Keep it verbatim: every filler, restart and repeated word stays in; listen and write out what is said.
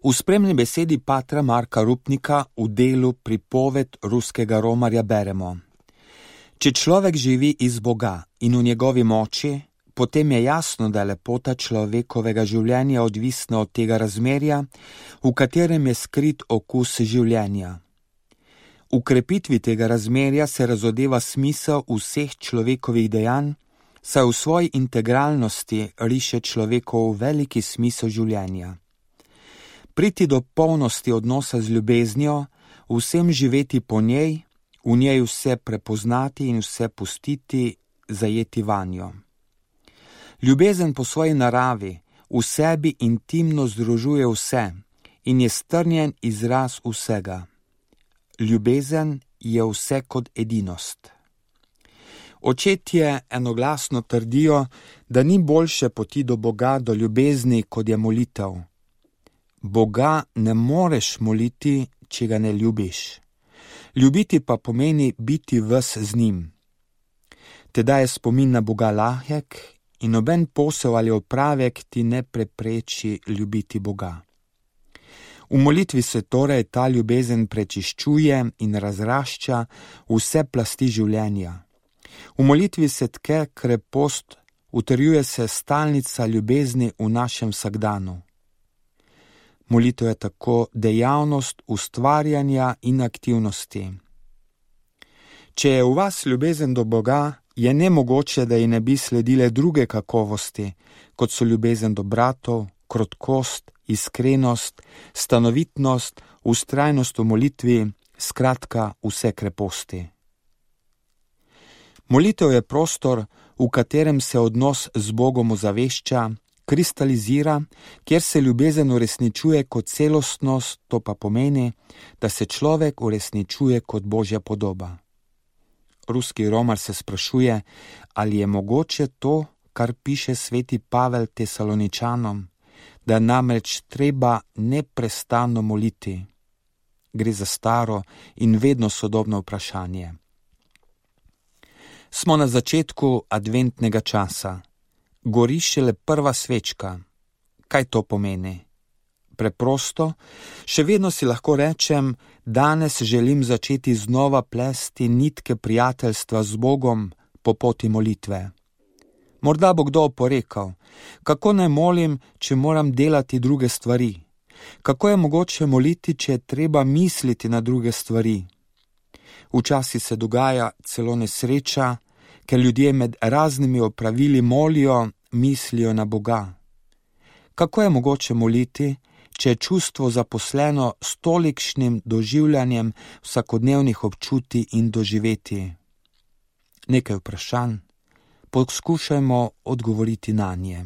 V spremni besedi patra Marka Rupnika v delu Pripoved ruskega romarja beremo: Če človek živi iz Boga in v njegovi moči, potem je jasno, da je lepota človekovega življenja odvisna od tega razmerja, v katerem je skrit okus življenja. V krepitvi tega razmerja se razodeva smisel vseh človekovih dejanj, saj v svoji integralnosti riše človekov veliki smisel življenja. Priti do polnosti odnosa z ljubeznijo, vsem živeti po njej, v njej vse prepoznati in vse pustiti, zajeti vanjo. Ljubezen po svoji naravi v sebi intimno združuje vse in je strnjen izraz vsega. Ljubezen je vse kot edinost. Očetje enoglasno trdijo, da ni boljše poti do Boga, do ljubezni, kot je molitev. Boga ne moreš moliti, če ga ne ljubiš. Ljubiti pa pomeni biti ves z njim. Tedaj je spomin na Boga lahek in noben posel ali opravek ti ne prepreči ljubiti Boga. V molitvi se torej ta ljubezen prečiščuje in razrašča vse plasti življenja. V molitvi se tke krepost, utrjuje se stalnica ljubezni v našem vsakdanu. Molitev je tako dejavnost ustvarjanja in aktivnosti. Če je v vas ljubezen do Boga, je nemogoče, da ji ne bi sledile druge kakovosti, kot so ljubezen do bratov, krotkost, iskrenost, stanovitnost, vztrajnost v molitvi, skratka vse kreposti. Molitev je prostor, v katerem se odnos z Bogom ozavešča, kristalizira, kjer se ljubezen uresničuje kot celostnost, to pa pomeni, da se človek uresničuje kot Božja podoba. Ruski romar se sprašuje, ali je mogoče to, kar piše sveti Pavel Tesaloničanom, da namreč treba neprestano moliti. Gre za staro in vedno sodobno vprašanje. Smo na začetku adventnega časa. Gori šele prva svečka. Kaj to pomeni? Preprosto, še vedno si lahko rečem, danes želim začeti znova plesti nitke prijateljstva z Bogom po poti molitve. Morda bo kdo oporekal, kako naj molim, če moram delati druge stvari? Kako je mogoče moliti, če je treba misliti na druge stvari? Včasih se dogaja celo nesreča, ker ljudje med raznimi opravili molijo, mislijo na Boga. Kako je mogoče moliti, če je čustvo zaposleno s tolikšnim doživljanjem vsakodnevnih občutij in doživeti? Nekaj vprašanj, poskušajmo odgovoriti nanje.